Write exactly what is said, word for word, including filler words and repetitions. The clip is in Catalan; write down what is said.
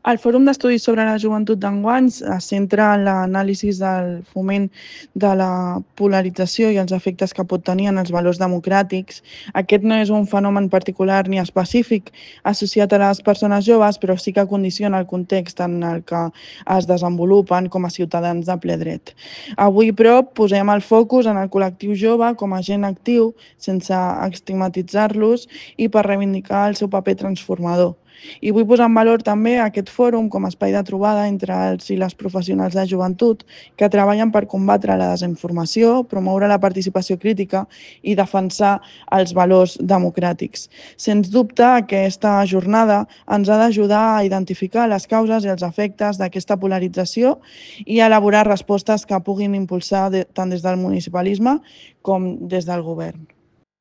El Fòrum d'Estudis sobre la Joventut d'enguany es centra en l'anàlisi del foment de la polarització i els efectes que pot tenir en els valors democràtics. Aquest no és un fenomen particular ni específic associat a les persones joves, però sí que condiciona el context en el que es desenvolupen com a ciutadans de ple dret. Avui, però, posem el focus en el col·lectiu jove com a agent actiu, sense estigmatitzar-los i per reivindicar el seu paper transformador. I vull posar en valor també aquest fòrum com a espai de trobada entre els i les professionals de joventut que treballen per combatre la desinformació, promoure la participació crítica i defensar els valors democràtics. Sens dubte, aquesta jornada ens ha d'ajudar a identificar les causes i els efectes d'aquesta polarització i a elaborar respostes que puguin impulsar tant des del municipalisme com des del govern.